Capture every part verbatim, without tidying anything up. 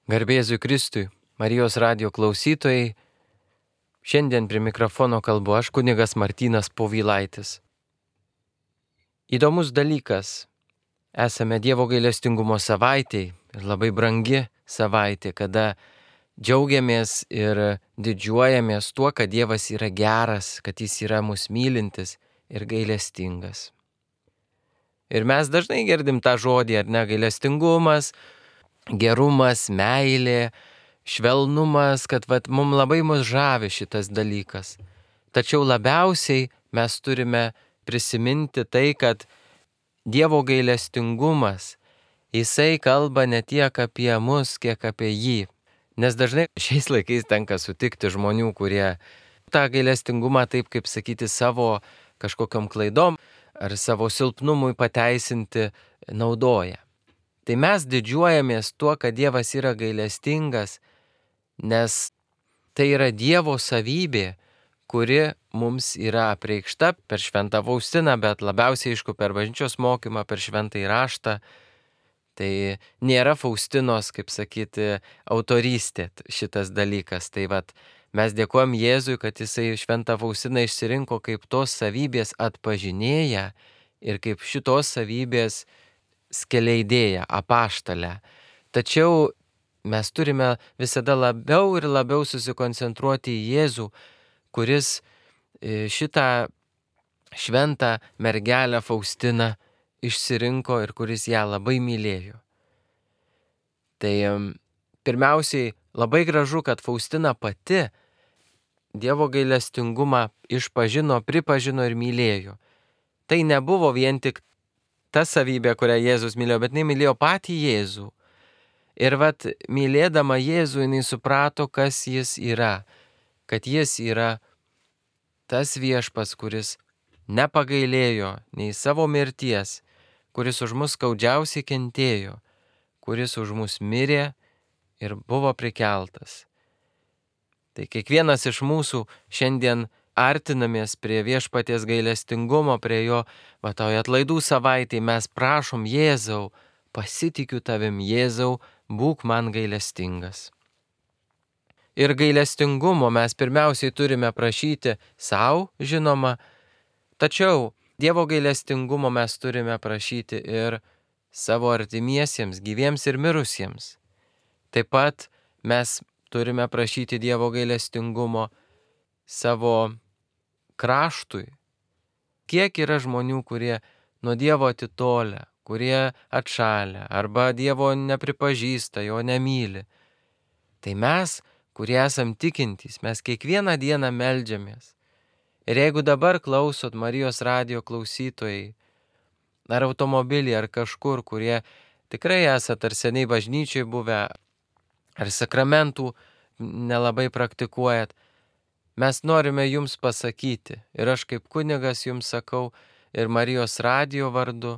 Garbė Jėzui Kristui, Marijos radijo klausytojai, šiandien prie mikrofono kalbu aš, kunigas Martynas Povilaitis. Įdomus dalykas, esame Dievo gailestingumo savaitėj ir labai brangi savaitė, kada džiaugiamės ir didžiuojamės tuo, kad Dievas yra geras, kad Jis yra mus mylintis ir gailestingas. Ir mes dažnai girdim tą žodį, ar ne, gailestingumas, gerumas, meilė, švelnumas, kad vat, mums labai mus žavi šitas dalykas. Tačiau labiausiai mes turime prisiminti tai, kad Dievo gailestingumas, Jisai kalba ne tiek apie mus, kiek apie jį. Nes dažnai šiais laikais tenka sutikti žmonių, kurie tą gailestingumą taip, kaip sakyti, savo kažkokiom klaidom ar savo silpnumui pateisinti naudoja. Tai mes didžiuojamės tuo, kad Dievas yra gailestingas, nes tai yra Dievo savybė, kuri mums yra apreikšta per Šventą Faustiną, bet labiausiai aišku per bažnyčios mokymą, per Šventąjį raštą. Tai nėra Faustinos, kaip sakyti, autorystė šitas dalykas. Tai vat, mes dėkojam Jėzui, kad Jisai Šventą Faustiną išsirinko kaip tos savybės atpažinėja ir kaip šitos savybės skeleidėja, apaštalę. Tačiau mes turime visada labiau ir labiau susikoncentruoti į Jėzų, kuris šitą šventą mergelę Faustiną išsirinko ir kuris ją labai mylėjo. Tai pirmiausiai labai gražu, kad Faustina pati Dievo gailestingumą išpažino, pripažino ir mylėjo. Tai nebuvo vien tik ta savybė, kurią Jėzus mylėjo, bet jinai mylėjo patį Jėzų. Ir vat, mylėdama Jėzų, jinai suprato, kas Jis yra. Kad Jis yra tas viešpats, kuris nepagailėjo nei savo mirties, kuris už mus skaudžiausiai kentėjo, kuris už mus mirė ir buvo prikeltas. Tai kiekvienas iš mūsų šiandien artinamės prie viešpaties gailestingumo, prie jo, va toj atlaidų savaitėj mes prašom Jėzau, pasitikiu tavim, Jėzau, būk man gailestingas. Ir gailestingumo mes pirmiausiai turime prašyti savo, žinoma, tačiau Dievo gailestingumo mes turime prašyti ir savo artimiesiems, gyviems ir mirusiems. Taip pat mes turime prašyti Dievo gailestingumo savo kraštui. Kiek yra žmonių, kurie nuo Dievo atitolę, kurie atšalę, arba Dievo nepripažįsta, jo nemyli. Tai mes, kurie esam tikintys, mes kiekvieną dieną meldžiamės. Ir jeigu dabar klausot Marijos radijo klausytojai, ar automobilį, ar kažkur, kurie tikrai esat ar seniai bažnyčiai buvę, ar sakramentų nelabai praktikuojat, mes norime jums pasakyti, ir aš kaip kunigas jums sakau, ir Marijos radijo vardu,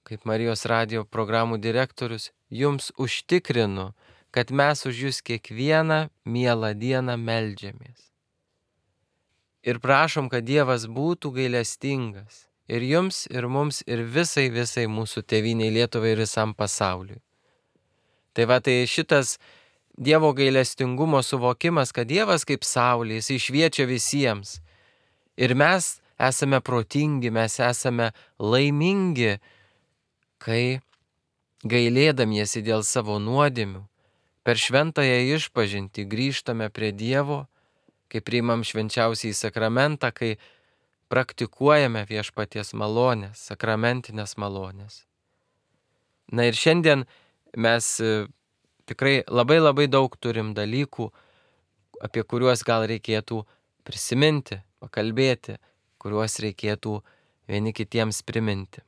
kaip Marijos radijo programų direktorius, jums užtikrinu, kad mes už jūs kiekvieną mielą dieną meldžiamės. Ir prašom, kad Dievas būtų gailestingas ir jums, ir mums, ir visai, visai mūsų tėvynei Lietuvai ir visam pasauliui. Tai va, tai šitas Dievo gailestingumo suvokimas, kad Dievas kaip saulė, Jis šviečia visiems. Ir mes esame protingi, mes esame laimingi, kai gailėdamiesi dėl savo nuodėmių, per šventąją išpažintį grįžtame prie Dievo, kai priimam švenčiausiąjį sakramentą, kai praktikuojame viešpaties malonės, sakramentinės malonės. Na ir šiandien mes tikrai labai labai daug turim dalykų, apie kuriuos gal reikėtų prisiminti, pakalbėti, kuriuos reikėtų vieni kitiems priminti.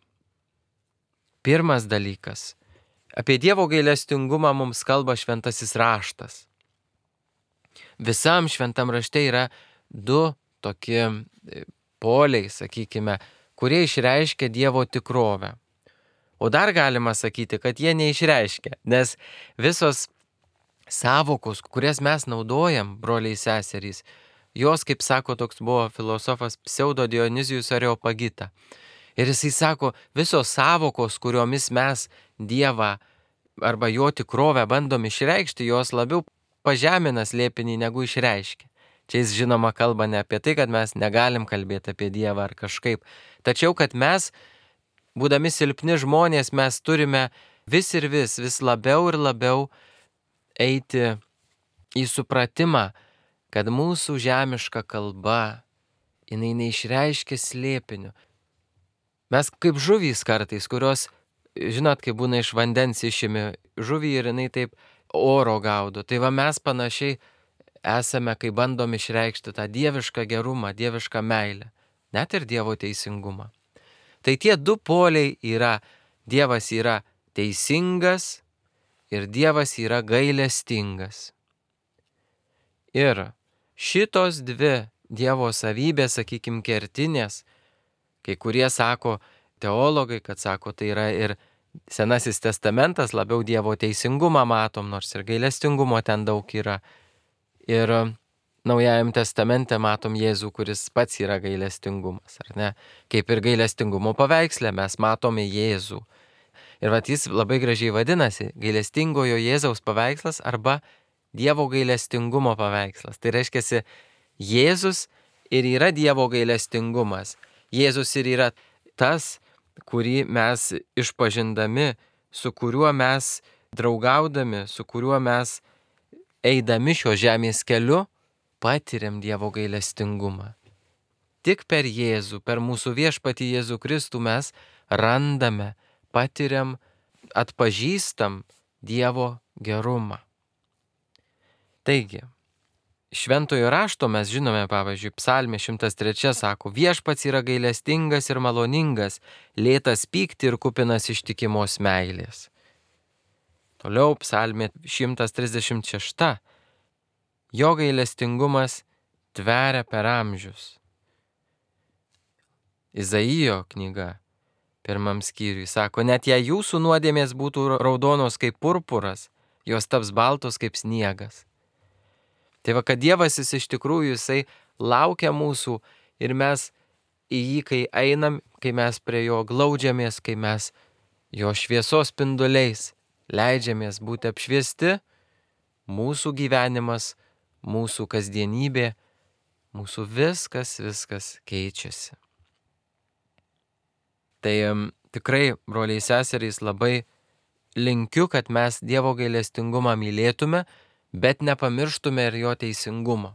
Pirmas dalykas. Apie Dievo gailestingumą mums kalba šventasis raštas. Visam šventam rašte yra du tokie poliai, sakykime, kurie išreiškia Dievo tikrovę. O dar galima sakyti, kad jie neišreiškia, nes visos sąvokos, kurias mes naudojam, broliai seserys, jos, kaip sako, toks buvo filosofas Pseudo Dionizijus Areopagita. Ir jisai sako, visos sąvokos, kuriomis mes Dievą arba jo tikrovę bandom išreikšti, jos labiau pažemina slėpinį negu išreiškia. Čia jis žinoma kalba ne apie tai, kad mes negalim kalbėti apie Dievą ar kažkaip, tačiau kad mes, būdami silpni žmonės, mes turime vis ir vis, vis labiau ir labiau eiti į supratimą, kad mūsų žemiška kalba, jinai neišreiškia slėpinių. Mes kaip žuvys kartais, kurios, žinot, kai būna iš vandens išimi žuvį ir jinai taip oro gaudo. Tai va mes panašiai esame, kai bandom išreikšti tą dievišką gerumą, dievišką meilę, net ir Dievo teisingumą. Tai tie du poliai yra, Dievas yra teisingas ir Dievas yra gailestingas. Ir šitos dvi Dievo savybės, sakykime, kertinės, kai kurie sako, teologai, kad sako, tai yra ir Senasis testamentas, labiau Dievo teisingumą matom, nors ir gailestingumo ten daug yra. Ir Naujajam testamente matom Jėzų, kuris pats yra gailestingumas, ar ne? Kaip ir gailestingumo paveiksle mes matome Jėzų. Ir vat jis labai gražiai vadinasi gailestingojo Jėzaus paveikslas arba Dievo gailestingumo paveikslas. Tai reiškia, Jėzus ir yra Dievo gailestingumas. Jėzus ir yra tas, kurį mes išpažindami, su kuriuo mes draugaudami, su kuriuo mes eidami šio žemės keliu, patiriam Dievo gailestingumą. Tik per Jėzų, per mūsų viešpatį Jėzų Kristų mes randame, patiriam, atpažįstam Dievo gerumą. Taigi, Šventojo rašto mes žinome, pavyzdžiui, Psalmė šimtas trys sako, viešpats yra gailestingas ir maloningas, lėtas pykti ir kupinas ištikimos meilės. Toliau Psalmė šimtas trisdešimt šeši. Jo gailestingumas tveria per amžius. Izaijo knyga pirmam skyriui sako, net jei jūsų nuodėmės būtų raudonos kaip purpuras, jos taps baltos kaip sniegas. Tai va, kad Dievas jis iš tikrųjų jisai laukia mūsų ir mes į jį, kai einam, kai mes prie jo glaudžiamės, kai mes jo šviesos spinduliais leidžiamės būti apšviesti, mūsų gyvenimas, mūsų kasdienybė, mūsų viskas, viskas keičiasi. Tai um, tikrai, broliai seserys, labai linkiu, kad mes Dievo gailestingumą mylėtume, bet nepamirštume ir jo teisingumo.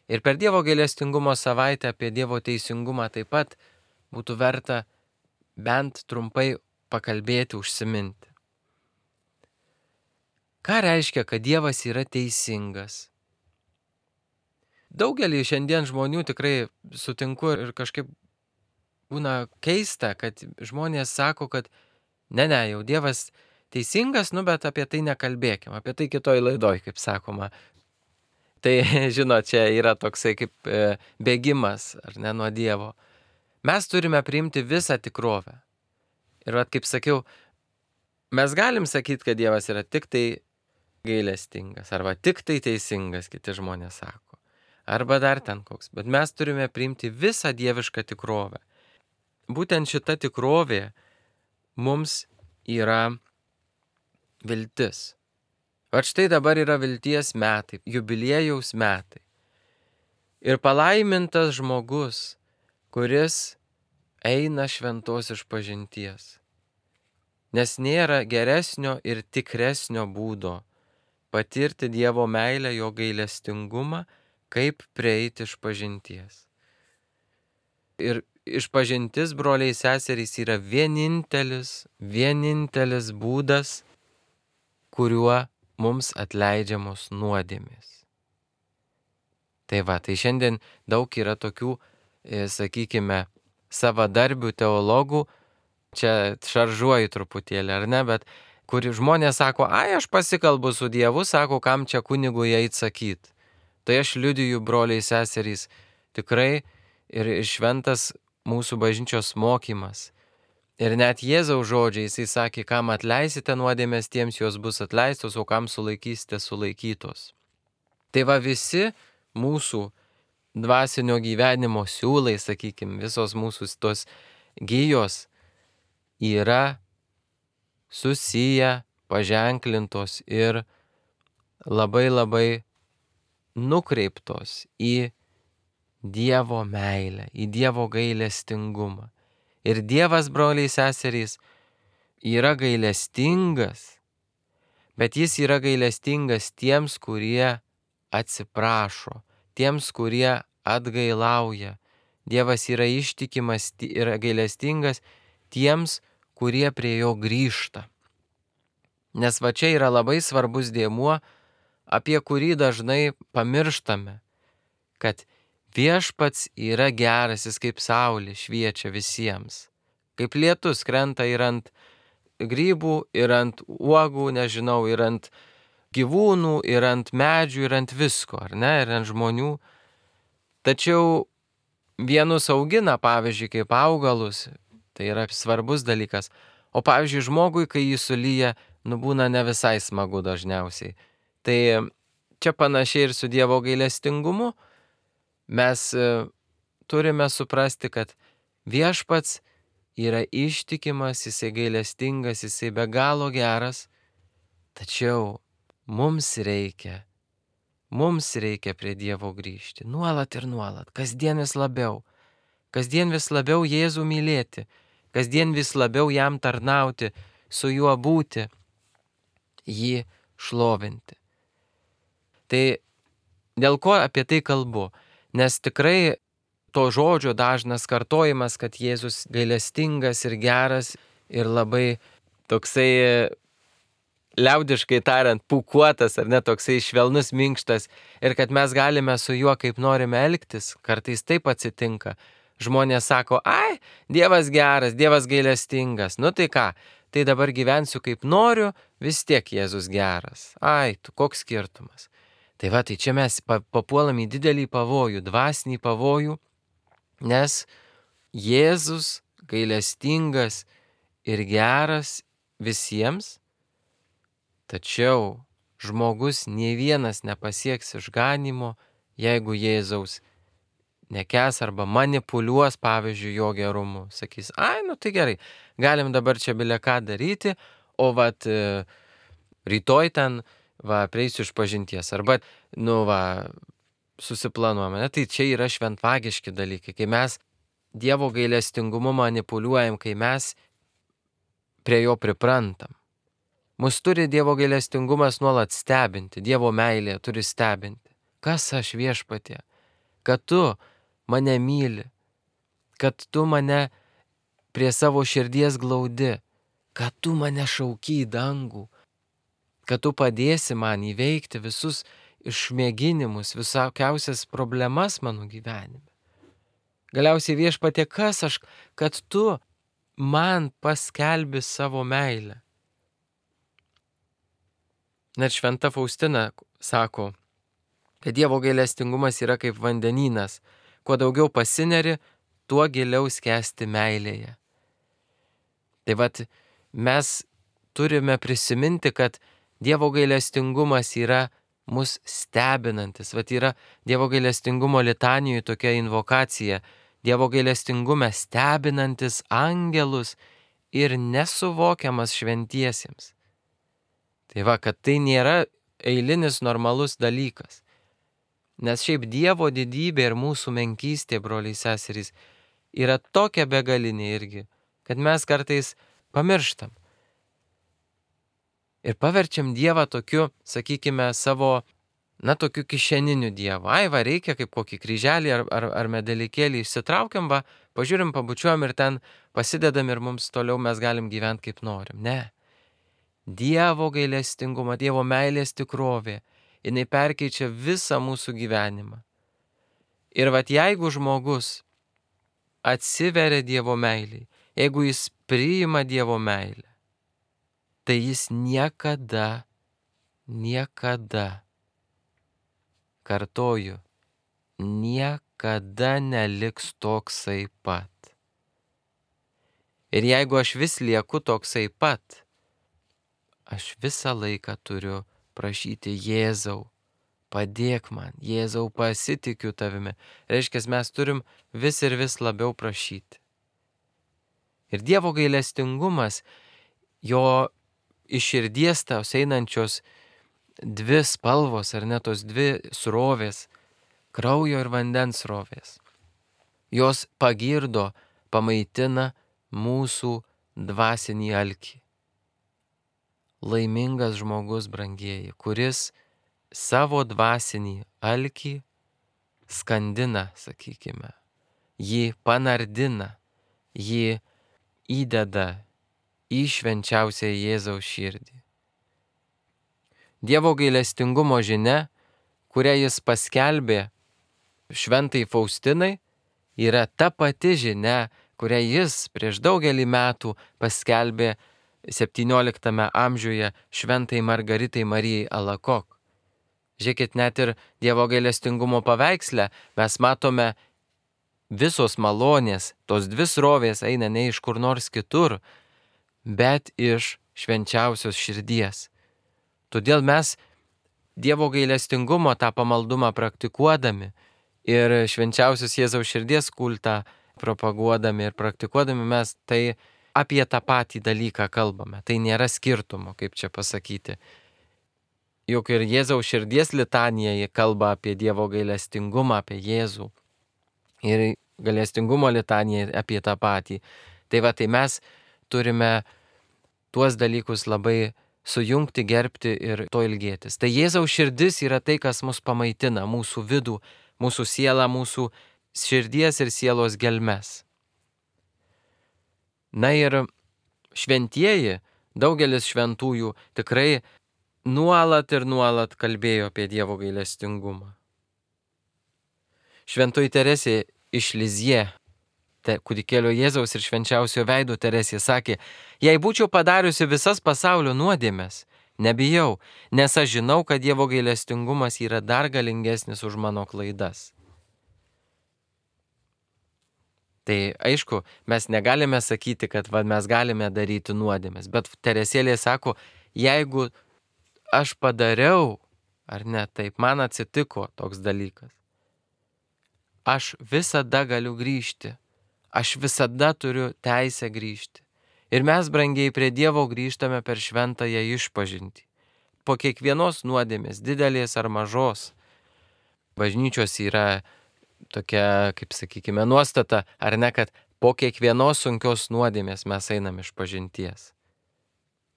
Ir per Dievo gailestingumo savaitę apie Dievo teisingumą taip pat būtų verta bent trumpai pakalbėti, užsiminti. Ką reiškia, kad Dievas yra teisingas? Daugelį šiandien žmonių tikrai sutinku ir kažkaip būna keista, kad žmonės sako, kad ne, ne, jau Dievas teisingas, nu bet apie tai nekalbėkim, apie tai kitoj laidoj, kaip sakoma. Tai, žinot, čia yra toksai kaip e, bėgimas, ar ne, nuo Dievo. Mes turime priimti visą tikrovę. Ir vat, kaip sakiau, mes galim sakyti, kad Dievas yra tik tai gailestingas, arba tik tai teisingas, kiti žmonės sako. Arba dar ten koks. Bet mes turime priimti visą dievišką tikrovę. Būtent šita tikrovė mums yra viltis. O štai dabar yra vilties metai, jubiliejaus metai. Ir palaimintas žmogus, kuris eina šventos išpažinties. Nes nėra geresnio ir tikresnio būdo patirti Dievo meilę, jo gailestingumą, kaip prieiti išpažinties. Ir išpažintis, broliai seserys, yra vienintelis, vienintelis būdas, kuriuo mums atleidžiamos nuodėmės. Tai va, tai šiandien daug yra tokių, e, sakykime, savadarbių teologų, čia šaržuoju truputėlį, ar ne, bet kur žmonės sako, ai, aš pasikalbu su Dievu, sako, kam čia kunigui eit sakyt. Tai aš liudiju, broliai seserys, tikrai ir šventas mūsų bažnyčios mokymas. Ir net Jėzaus žodžiai, jisai sakė, kam atleisite nuodėmės, tiems jos bus atleistos, o kam sulaikysite, sulaikytos. Tai va visi mūsų dvasinio gyvenimo siūlai, sakykime, visos mūsų tos gijos yra susiję paženklintos ir labai labai nukreiptos į Dievo meilę, į Dievo gailestingumą. Ir Dievas, broliai seserys, yra gailestingas, bet jis yra gailestingas tiems, kurie atsiprašo, tiems, kurie atgailauja. Dievas yra ištikimas ir gailestingas tiems, kurie prie jo grįžta. Nes va čia yra labai svarbus dėmuo, apie kurį dažnai pamirštame, kad viešpats yra geras, jis kaip saulė šviečia visiems. Kaip lietus krenta ir ant grybų, ir ant uogų, nežinau, ir ant gyvūnų, ir ant medžių, ir ant visko, ar ne, ir ant žmonių. Tačiau vienus augina, pavyzdžiui, kaip augalus, tai yra svarbus dalykas. O pavyzdžiui, žmogui, kai jį sulyja, nubūna ne visai smagu dažniausiai. Tai čia panašiai ir su Dievo gailestingumu. Mes turime suprasti, kad viešpats yra ištikimas, jisai gailestingas, jisai be galo geras, tačiau mums reikia, mums reikia prie Dievo grįžti, nuolat ir nuolat, kasdien vis labiau, kasdien vis labiau Jėzų mylėti, kasdien vis labiau jam tarnauti, su juo būti, jį šlovinti. Tai dėl ko apie tai kalbu? Nes tikrai to žodžio dažnas kartojimas, kad Jėzus gailestingas ir geras ir labai toksai, liaudiškai tariant, pūkuotas ar ne, toksai švelnus, minkštas ir kad mes galime su juo kaip norime elgtis, kartais taip atsitinka. Žmonės sako, ai, Dievas geras, Dievas gailestingas, nu tai ką, tai dabar gyvensiu kaip noriu, vis tiek Jėzus geras. Ai, tu koks skirtumas. Tai va, tai čia mes papuolam į didelį pavojų, dvasinį pavojų, nes Jėzus gailestingas ir geras visiems, tačiau žmogus nei vienas nepasieks išganimo, jeigu Jėzaus nekęs arba manipuliuos, pavyzdžiui, jo gerumu. Sakys, ai, nu tai gerai, galim dabar čia bile ką daryti, o vat rytoj ten, va, prieisiu iš pažinties, arba, nu, va, susiplanuojame. Tai čia yra šventvagiški dalykai, kai mes Dievo gailestingumu manipuliuojam, kai mes prie jo priprantam. Mus turi Dievo gailestingumas nuolat stebinti, Dievo meilė turi stebinti. Kas aš, Viešpatie? Kad tu mane myli, kad tu mane prie savo širdies glaudi, kad tu mane šauki į dangų, kad tu padėsi man įveikti visus išmėginimus, visokiausias problemas mano gyvenime. Galiausiai, Viešpatie, kas aš, kad tu man paskelbi savo meilę. Net šventa Faustina sako, kad Dievo gailestingumas yra kaip vandenynas, kuo daugiau pasineri, tuo giliau skęsti meilėje. Tai vat mes turime prisiminti, kad Dievo gailestingumas yra mus stebinantis. Vat yra Dievo gailestingumo litanijų tokia invokacija. Dievo gailestingume stebinantis angelus ir nesuvokiamas šventiesiems. Tai va, kad tai nėra eilinis normalus dalykas. Nes šiaip Dievo didybė ir mūsų menkystė, broliai seserys, yra tokia begalinė irgi, kad mes kartais pamirštam. Ir paverčiam Dievą tokiu, sakykime, savo, na, tokiu kišeniniu Dievu. Ai, va, reikia kaip kokį kryželį ar, ar, ar medalikėlį išsitraukiam, va, pažiūrim, pabučiuojam ir ten pasidedam ir mums toliau mes galim gyventi kaip norim. Ne. Dievo gailestingumą, Dievo meilės tikrovė, jinai perkeičia visą mūsų gyvenimą. Ir vat jeigu žmogus atsiveria Dievo meiliai, jeigu jis priima Dievo meilę, tai jis niekada, niekada, kartoju, niekada neliks toksai pat. Ir jeigu aš vis lieku toksai pat, aš visą laiką turiu prašyti Jėzau, padėk man, Jėzau, pasitikiu tavimi. Reiškia, mes turim vis ir vis labiau prašyti. Ir Dievo gailestingumas, jo iš širdies tos einančios dvi spalvos, ar ne tos dvi srovės, kraujo ir vandens srovės. Jos pagirdo, pamaitina mūsų dvasinį alkį. Laimingas žmogus, brangieji, kuris savo dvasinį alkį skandina, sakykime, jį panardina, jį įdeda į švenčiausią Jėzaus širdį. Dievo gailestingumo žinia, kurią jis paskelbė šventai Faustinai, yra ta pati žinia, kurią jis prieš daugelį metų paskelbė septynioliktame amžiuje šventai Margaritai Marijai Alakok. Žiūrėkit, net ir Dievo gailestingumo paveiksle mes matome visos malonės, tos dvi srovės eina ne iš kur nors kitur, bet iš švenčiausios širdies. Todėl mes Dievo gailestingumo tą pamaldumą praktikuodami ir švenčiausios Jėzaus širdies kultą propaguodami ir praktikuodami mes tai apie tą patį dalyką kalbame. Tai nėra skirtumo, kaip čia pasakyti. Juk ir Jėzaus širdies litanija kalba apie Dievo gailestingumą, apie Jėzų. Ir gailestingumo litanija apie tą patį. Tai va, tai mes turime tuos dalykus labai sujungti, gerbti ir to ilgėtis. Tai Jėzaus širdis yra tai, kas mus pamaitina, mūsų vidų, mūsų sielą, mūsų širdies ir sielos gelmes. Na ir šventieji, daugelis šventųjų tikrai nuolat ir nuolat kalbėjo apie Dievo gailestingumą. Šventoji Teresė iš Lizie, kūdikėlio Jėzaus ir švenčiausio veido Teresė sakė, jei būčiau padariusi visas pasaulio nuodėmes, nebijau, nes aš žinau, kad Dievo gailestingumas yra dar galingesnis už mano klaidas. Tai aišku, mes negalime sakyti, kad va, mes galime daryti nuodėmes, bet Teresėlė sako, jeigu aš padariau, ar ne, taip man atsitiko toks dalykas, aš visada galiu grįžti, aš visada turiu teisę grįžti. Ir mes, brangiai, prie Dievo grįžtame per šventąją išpažintį. Po kiekvienos nuodėmės, didelės ar mažos, bažnyčios yra tokia, kaip sakykime, nuostata, ar ne, kad po kiekvienos sunkios nuodėmės mes einam iš pažinties.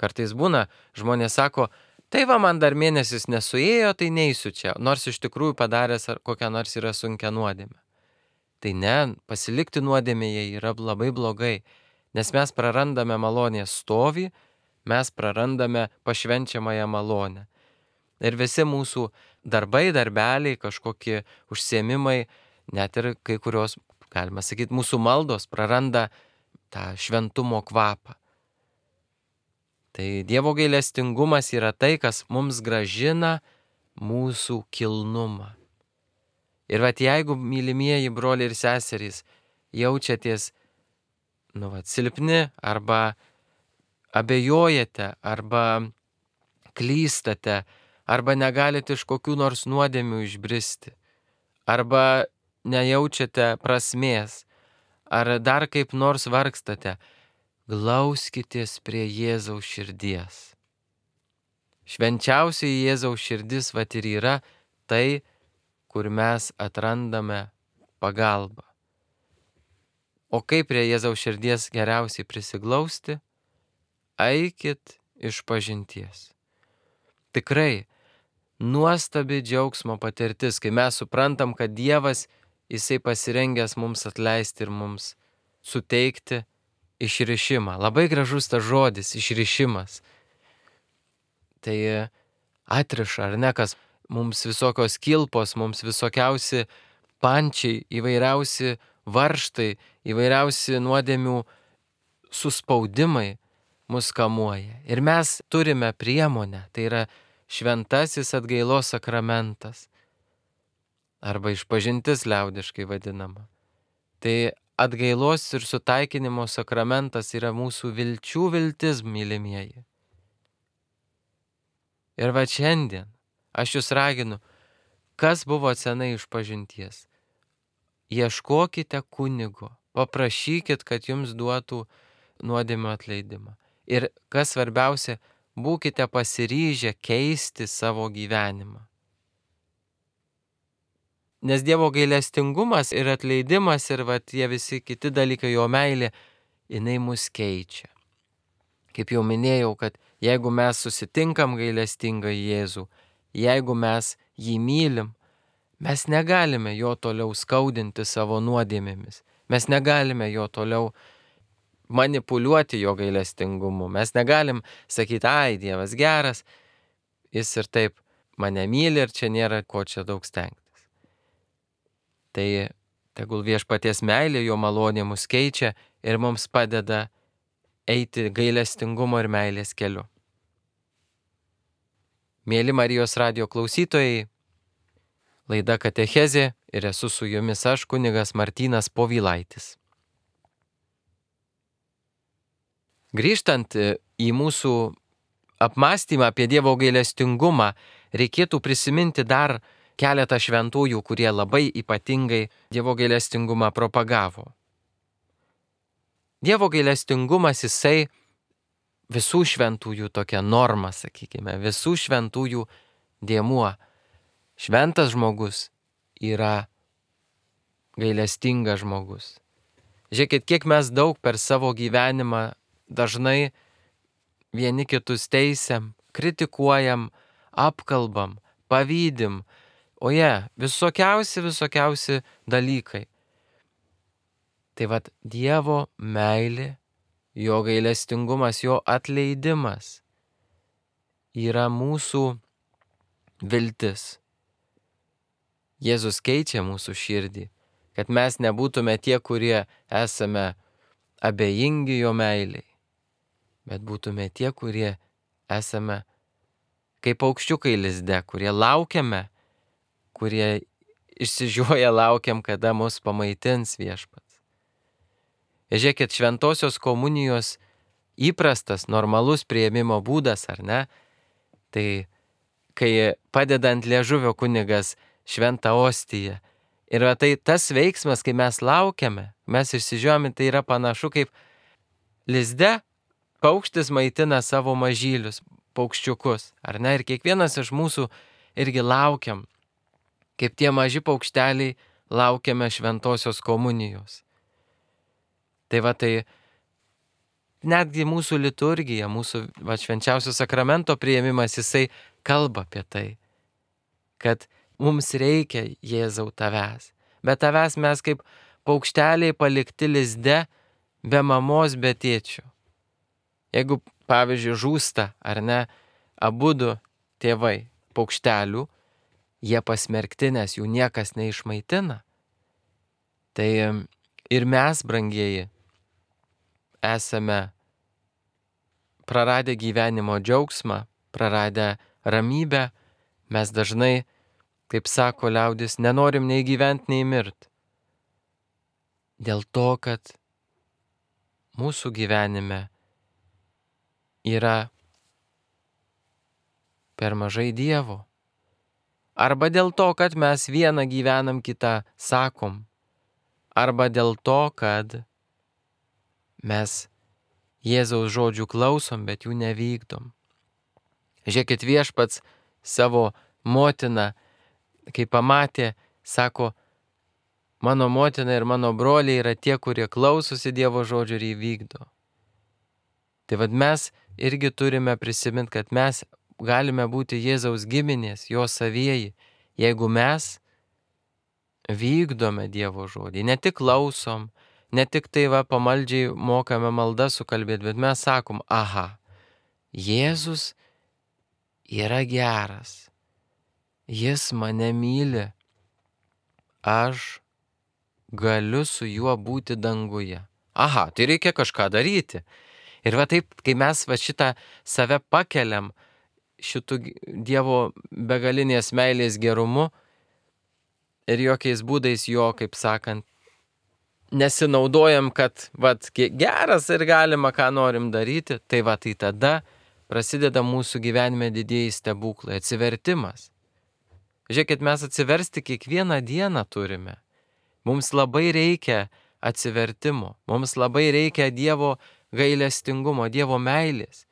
Kartais būna, žmonės sako, tai va man dar mėnesis nesuėjo, tai neisiu čia, nors iš tikrųjų padaręs kokią nors yra sunkią nuodėmę. Tai ne, pasilikti nuodėmėje yra labai blogai, nes mes prarandame malonės stovį, mes prarandame pašvenčiamąją malonę. Ir visi mūsų darbai, darbeliai, kažkokie užsiėmimai, net ir kai kurios, galima sakyti, mūsų maldos praranda tą šventumo kvapą. Tai Dievo gailestingumas yra tai, kas mums gražina mūsų kilnumą. Ir vat jeigu, mylimieji broliai ir seserys, jaučiatės, nu vat, silpni arba abejojate, arba klystate, arba negalite iš kokių nors nuodėmių išbristi, arba nejaučiate prasmės, ar dar kaip nors vargstate, glauskitės prie Jėzaus širdies. Švenčiausiai Jėzaus širdis vat ir yra tai, kur mes atrandame pagalbą. O kaip prie Jėzaus širdies geriausiai prisiglausti? Eikit iš pažinties. Tikrai nuostabi džiaugsmo patirtis, kai mes suprantam, kad Dievas, jisai pasirengęs mums atleisti ir mums suteikti išrišimą. Labai gražus tas žodis, išrišimas. Tai atriša, ar ne, kas mums visokios kilpos, mums visokiausi pančiai, įvairiausi varžtai, įvairiausi nuodėmių suspaudimai mus kamuoja. Ir mes turime priemonę, tai yra šventasis atgailos sakramentas, arba išpažintis liaudiškai vadinama. Tai atgailos ir sutaikinimo sakramentas yra mūsų vilčių viltis, mylimieji. Ir va šiandien aš jūs raginu, kas buvo senai išpažinties. Ieškokite kunigo, paprašykit, kad jums duotų nuodėmių atleidimą. Ir kas svarbiausia, būkite pasiryžę keisti savo gyvenimą. Nes Dievo gailestingumas ir atleidimas ir va tie visi kiti dalykai, jo meilė, jinai mus keičia. Kaip jau minėjau, kad jeigu mes susitinkam gailestingą Jėzų, jeigu mes jį mylim, mes negalime jo toliau skaudinti savo nuodėmėmis. Mes negalime jo toliau manipuliuoti jo gailestingumu. Mes negalim sakyti, ai, Dievas geras, jis ir taip mane myli ir čia nėra ko čia daug stengtis. Tai tegul viešpaties meilė, jo malonė mus keičia ir mums padeda eiti gailestingumo ir meilės keliu. Mėly Marijos radijo klausytojai, laida Katechezė ir esu su jumis aš, kunigas Martynas Povilaitis. Grįžtant į mūsų apmąstymą apie Dievo gailestingumą, reikėtų prisiminti dar keletą šventųjų, kurie labai ypatingai Dievo gailestingumą propagavo. Dievo gailestingumas, jisai visų šventųjų tokia norma, sakykime, visų šventųjų dėmuo. Šventas žmogus yra gailestingas žmogus. Žiūrėkit, kiek mes daug per savo gyvenimą dažnai vieni kitus teisiam, kritikuojam, apkalbam, pavydim, o jie visokiausi, visokiausi dalykai. Tai vat Dievo meilė, jo gailestingumas, jo atleidimas yra mūsų viltis. Jėzus keičia mūsų širdį, kad mes nebūtume tie, kurie esame abejingi jo meiliai, bet būtume tie, kurie esame kaip paukščiukai lizde, kurie laukiame, kurie išsižioja laukiam, kada mus pamaitins viešpats. Žiūrėkit, šventosios komunijos įprastas, normalus priėmimo būdas, ar ne? Tai kai padedant liežuvio kunigas šventą ostiją. Ir tai tas veiksmas, kai mes laukiame, mes išsižiojame, tai yra panašu kaip lizde paukštis maitina savo mažylius, paukščiukus, ar ne? Ir kiekvienas iš mūsų irgi laukiam, kaip tie maži paukšteliai laukiame šventosios komunijos. Tai va tai netgi mūsų liturgija, mūsų va, švenčiausio sakramento priėmimas, jisai kalba apie tai, kad mums reikia Jėzau tavęs, bet tavęs mes kaip paukšteliai palikti lizde, be mamos, be tėčių. Jeigu, pavyzdžiui, žūsta, ar ne, abudu tėvai paukštelių, jie pasmerkti, nes jų niekas neišmaitina. Tai ir mes, brangieji, esame praradę gyvenimo džiaugsmą, praradę ramybę, mes dažnai, kaip sako liaudis, nenorim nei gyventi, nei mirt. Dėl to, kad mūsų gyvenime yra per mažai Dievo. Arba dėl to, kad mes vieną gyvenam, kitą sakom. Arba dėl to, kad mes Jėzaus žodžių klausom, bet jų nevykdom. Žiūrėkit, viešpats savo motiną, kai pamatė, sako, mano motina ir mano broliai yra tie, kurie klausosi Dievo žodžių ir įvykdo. Tai vad mes irgi turime prisiminti, kad mes galime būti Jėzaus giminės, jo savieji, jeigu mes vykdome Dievo žodį, ne tik klausom, ne tik tai va pamaldžiai mokame maldą sukalbėti, bet mes sakom, aha, Jėzus yra geras, jis mane myli, aš galiu su juo būti danguje. Aha, tai reikia kažką daryti. Ir va taip, kai mes va šitą save pakeliam šitų Dievo begalinės meilės gerumu ir jokiais būdais jo, kaip sakant, nesinaudojam, kad vat, geras ir galima, ką norim daryti, tai va, tai tada prasideda mūsų gyvenime didieji stebuklai, atsivertimas. Žiūrėkit, mes atsiversti kiekvieną dieną turime. Mums labai reikia atsivertimo, mums labai reikia Dievo gailestingumo, Dievo meilės.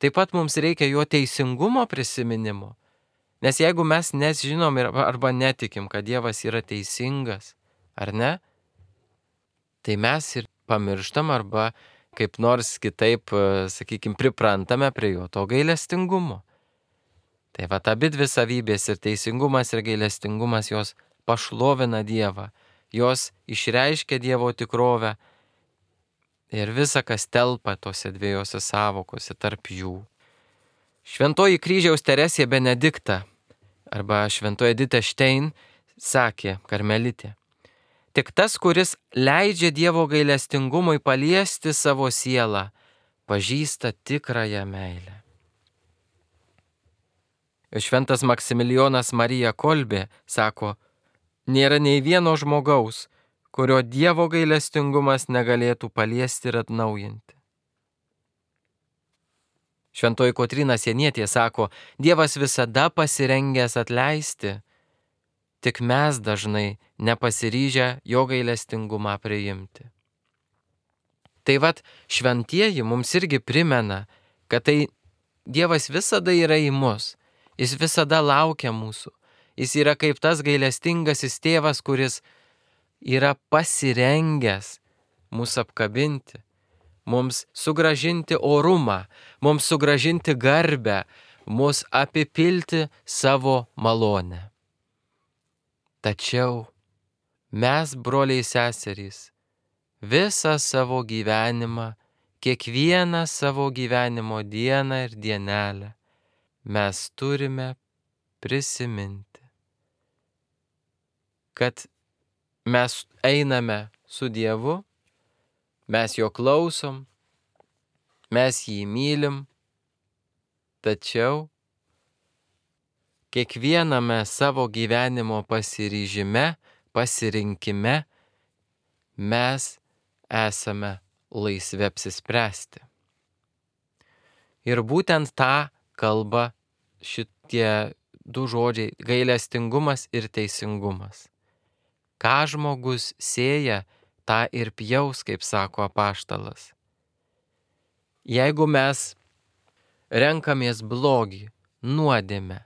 taip pat mums reikia jo teisingumo prisiminimo. Nes jeigu mes nežinom arba netikim, kad Dievas yra teisingas, ar ne, tai mes ir pamirštam arba kaip nors kitaip, sakykime, priprantame prie jo to gailestingumo. Tai va, abi dvi savybės ir teisingumas ir gailestingumas jos pašlovina Dievą, jos išreiškia Dievo tikrovę ir visa, kas telpa tose dviejose savokose tarp jų. Šventoji kryžiaus Teresė Benedikta arba šventoji Edita Stein sakė, karmelitė, tik tas, kuris leidžia Dievo gailestingumui paliesti savo sielą, pažįsta tikrąją meilę. Šventas Maksimilijonas Marija Kolbė sako, nėra nei vieno žmogaus, kurio Dievo gailestingumas negalėtų paliesti ir atnaujinti. Šventoji Kotryna Sienietė sako, Dievas visada pasirengęs atleisti, tik mes dažnai nepasiryžę jo gailestingumą priimti. Tai vat šventieji mums irgi primena, kad tai Dievas visada yra į mus, jis visada laukia mūsų, jis yra kaip tas gailestingasis tėvas, kuris yra pasirengęs mūsų apkabinti, mums sugražinti orumą, mums sugražinti garbę, mus apipilti savo malonę. Tačiau mes, broliai seserys, visą savo gyvenimą, kiekvieną savo gyvenimo dieną ir dienelę mes turime prisiminti, kad mes einame su Dievu, mes jo klausom, mes jį mylim, tačiau kiekviename savo gyvenimo pasiryžime, pasirinkime mes esame laisvi apsispręsti. Ir būtent tą kalba šitie du žodžiai - gailestingumas ir teisingumas. Ką žmogus sėja, tą ir pjaus, kaip sako apaštalas. Jeigu mes renkamės blogį, nuodėmę,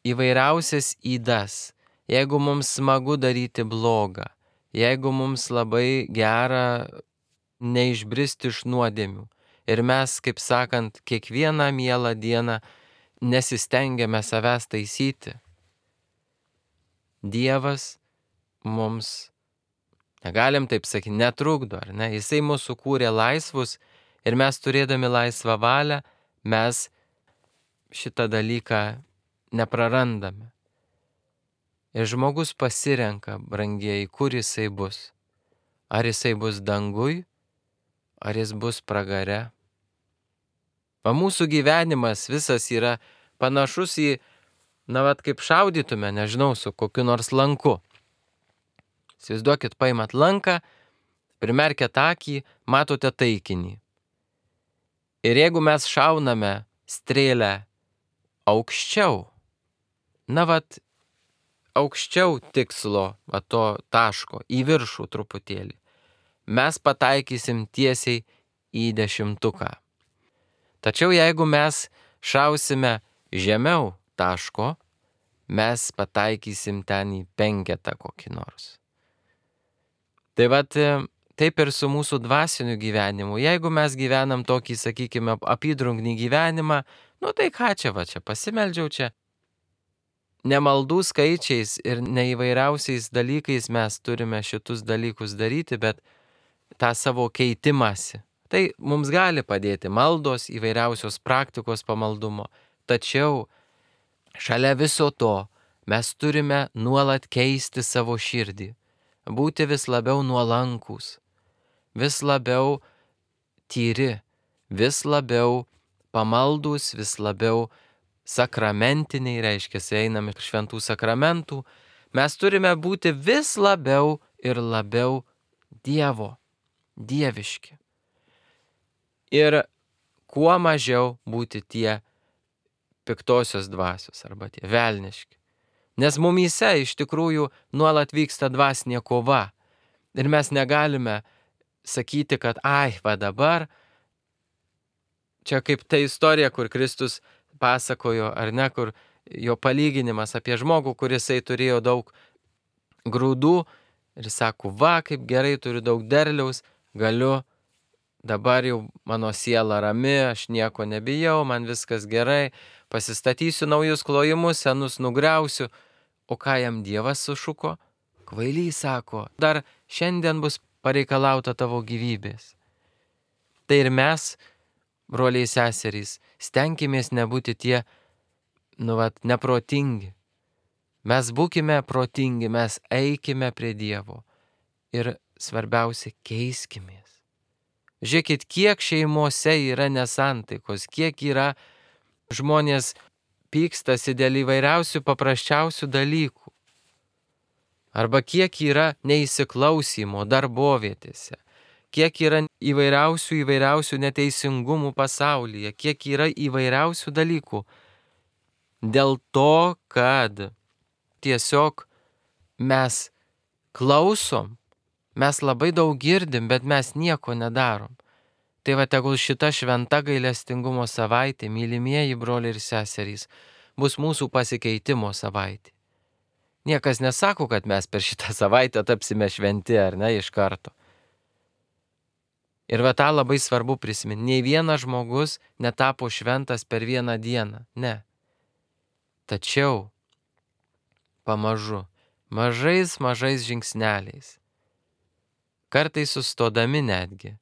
įvairiausias ydas, jeigu mums smagu daryti blogą, jeigu mums labai gera neišbristi iš nuodėmių ir mes, kaip sakant, kiekvieną mielą dieną nesistengiame savęs taisyti, Dievas mums, negalim taip sakyti, netrukdo, ar ne? Jisai mūsų kūrė laisvus ir mes turėdami laisvą valią, mes šitą dalyką neprarandame. Ir žmogus pasirenka, brangieji, kur jisai bus. Ar jisai bus danguj, ar jis bus pragare. O mūsų gyvenimas visas yra panašus į, na, vat kaip šaudytume, nežinau, su kokiu nors lanku. Įsivaizduokit, paimat lanką, primerkiat akį, matote taikinį. Ir jeigu mes šauname strėlę aukščiau, na vat, aukščiau tikslo, va to taško, į viršų truputėlį, mes pataikysim tiesiai į dešimtuką. Tačiau jeigu mes šausime žemiau taško, mes pataikysim ten į penketą kokį nors. Tai vat taip ir su mūsų dvasiniu gyvenimu. Jeigu mes gyvenam tokį, sakykime, apydrungnį gyvenimą, nu tai ką čia, va čia pasimeldžiau čia. Nemaldų skaičiais ir neįvairiausiais dalykais mes turime šitus dalykus daryti, bet tą savo keitimąsi. Tai mums gali padėti maldos, įvairiausios praktikos pamaldumo. Tačiau šalia viso to mes turime nuolat keisti savo širdį, būti vis labiau nuolankūs, vis labiau tyri, vis labiau pamaldūs, vis labiau sakramentiniai, reiškia, einame iš šventų sakramentų, mes turime būti vis labiau ir labiau Dievo, dieviški. Ir kuo mažiau būti tie piktosios dvasios arba tie velniški. Nes mumyse iš tikrųjų nuolat vyksta dvasinė kova. Ir mes negalime sakyti, kad ai, va dabar Čia kaip ta istorija, kur Kristus pasakojo, ar ne, kur jo palyginimas apie žmogų, kurisai turėjo daug grūdų ir sako, va, kaip gerai, turiu daug derliaus, galiu, dabar jau mano siela rami, aš nieko nebijau, man viskas gerai, pasistatysiu naujus klojimus, senus nugriausiu. O ką jam Dievas sušuko? Kvailys, sako, dar šiandien bus pareikalauta tavo gyvybės. Tai ir mes, broliai seserys, stenkimės nebūti tie, nu vat, neprotingi. Mes būkime protingi, mes eikime prie Dievo ir svarbiausia, keiskimės. Žiūrėkit, kiek šeimose yra nesantaikos, kiek yra žmonės pykstasi dėl įvairiausių paprasčiausių dalykų. Arba kiek yra neįsiklausimo darbovietėse, kiek yra įvairiausių įvairiausių neteisingumų pasaulyje, kiek yra įvairiausių dalykų. Dėl to, kad tiesiog mes klausom, mes labai daug girdim, bet mes nieko nedarom. Tai va, tegul šita šventa gailestingumo savaitė, mylimieji broliai ir seserys, bus mūsų pasikeitimo savaitė. Niekas nesako, kad mes per šitą savaitę tapsime šventi, ar ne, iš karto. Ir va tą labai svarbu prisiminti. Nei vienas žmogus netapo šventas per vieną dieną, ne. Tačiau pamažu, mažais, mažais žingsneliais, kartais sustodami netgi,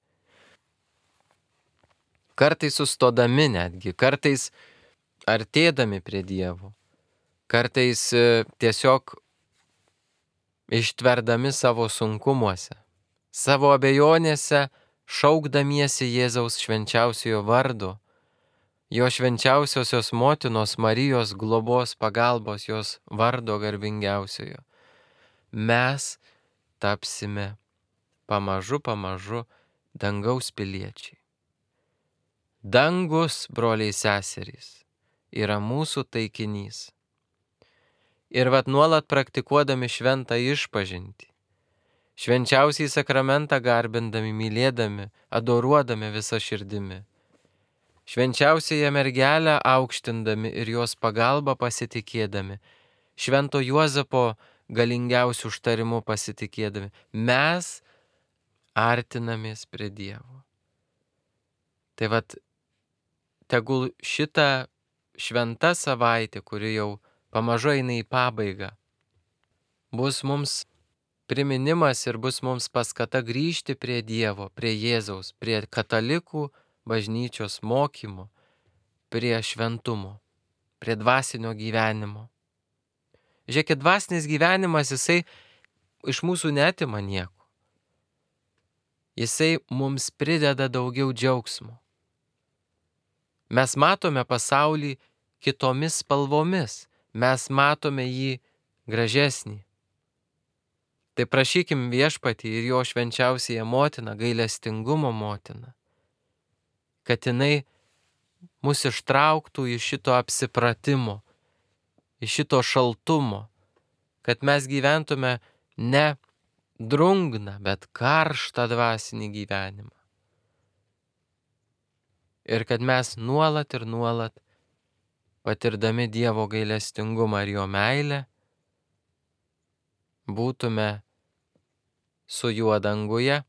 kartais sustodami netgi, kartais artėdami prie Dievo, kartais tiesiog ištverdami savo sunkumuose, savo abejonėse, šaukdamiesi Jėzaus švenčiausiojo vardo, jo švenčiausiosios motinos Marijos globos pagalbos, jos vardo garbingiausiojo, mes tapsime pamažu, pamažu dangaus piliečiai. Dangus, broliai seserys, yra mūsų taikinys. Ir vat nuolat praktikuodami šventą išpažintį, švenčiausiai sakramentą garbindami, mylėdami, adoruodami visą širdimi, švenčiausiąją mergelę aukštindami ir jos pagalbą pasitikėdami, švento Juozapo galingiausių užtarimų pasitikėdami, mes artinamės prie Dievo. Tai vat, tegul šita šventa savaitė, kuri jau pamažu eina į pabaigą, bus mums priminimas ir bus mums paskata grįžti prie Dievo, prie Jėzaus, prie katalikų bažnyčios mokymo, prie šventumo, prie dvasinio gyvenimo. Žiūrėkit, dvasinis gyvenimas, jisai iš mūsų neatima nieko. Jisai mums prideda daugiau džiaugsmo. Mes matome pasaulį kitomis spalvomis, mes matome jį gražesnį. Tai prašykim Viešpatį ir jo švenčiausiąją motiną, gailestingumo motiną, kad jinai mus ištrauktų iš šito apsipratimo, iš šito šaltumo, kad mes gyventume ne drungną, bet karštą dvasinį gyvenimą. Ir kad mes nuolat ir nuolat, patirdami Dievo gailestingumą ir jo meilę, būtume su juo danguje.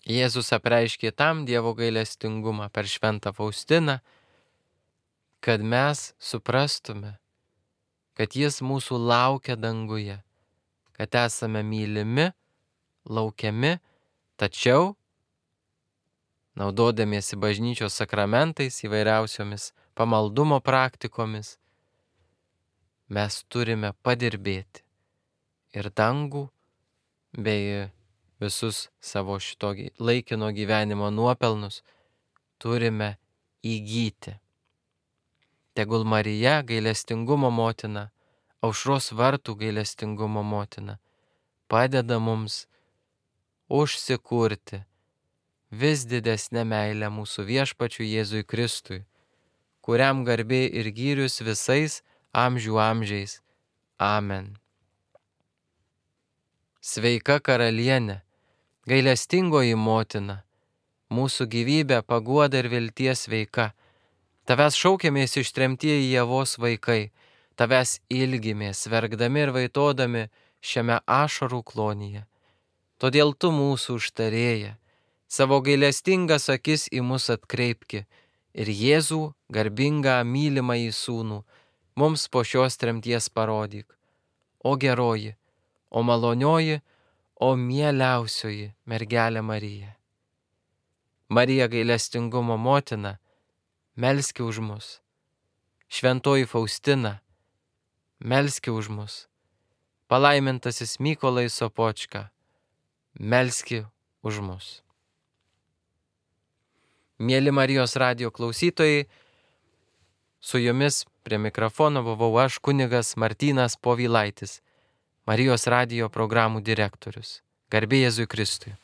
Jėzus apreiškė tam Dievo gailestingumą per šventą Faustiną, kad mes suprastume, kad jis mūsų laukia danguje, kad esame mylimi, laukiami, tačiau naudodamiesi bažnyčios sakramentais, įvairiausiomis pamaldumo praktikomis, mes turime padirbėti ir dangų bei visus savo šito laikino gyvenimo nuopelnus turime įgyti. Tegul Marija, gailestingumo motina, aušros vartų gailestingumo motina, padeda mums užsikurti vis didesnę meilę mūsų Viešpačiui Jėzui Kristui, kuriam garbė ir gyrius visais amžių amžiais. Amen. Sveika karalienė, gailestingoji motina, mūsų gyvybė, paguoda ir vilties veika. Tavęs šaukėmės ištremtieji Ievos vaikai, tavęs ilgimės, verkdami ir vaitodami šiame ašarų klonyje. Todėl tu mūsų užtarėja, savo gailestingas akis į mus atkreipki ir Jėzų, garbingą mylimąjį sūnų, mums po šios tremties parodyk. O geroji, o malonioji, o mieliausioji mergelė Marija. Marija gailestingumo motina, melski už mus. Šventoji Faustina, melski už mus. Palaimintasis Mykolai Sopočka, melski už mus. Mieli Marijos radijo klausytojai, su jumis prie mikrofono buvau aš, kunigas Martynas Povilaitis, Marijos radijo programų direktorius. Garbė Jėzui Kristui.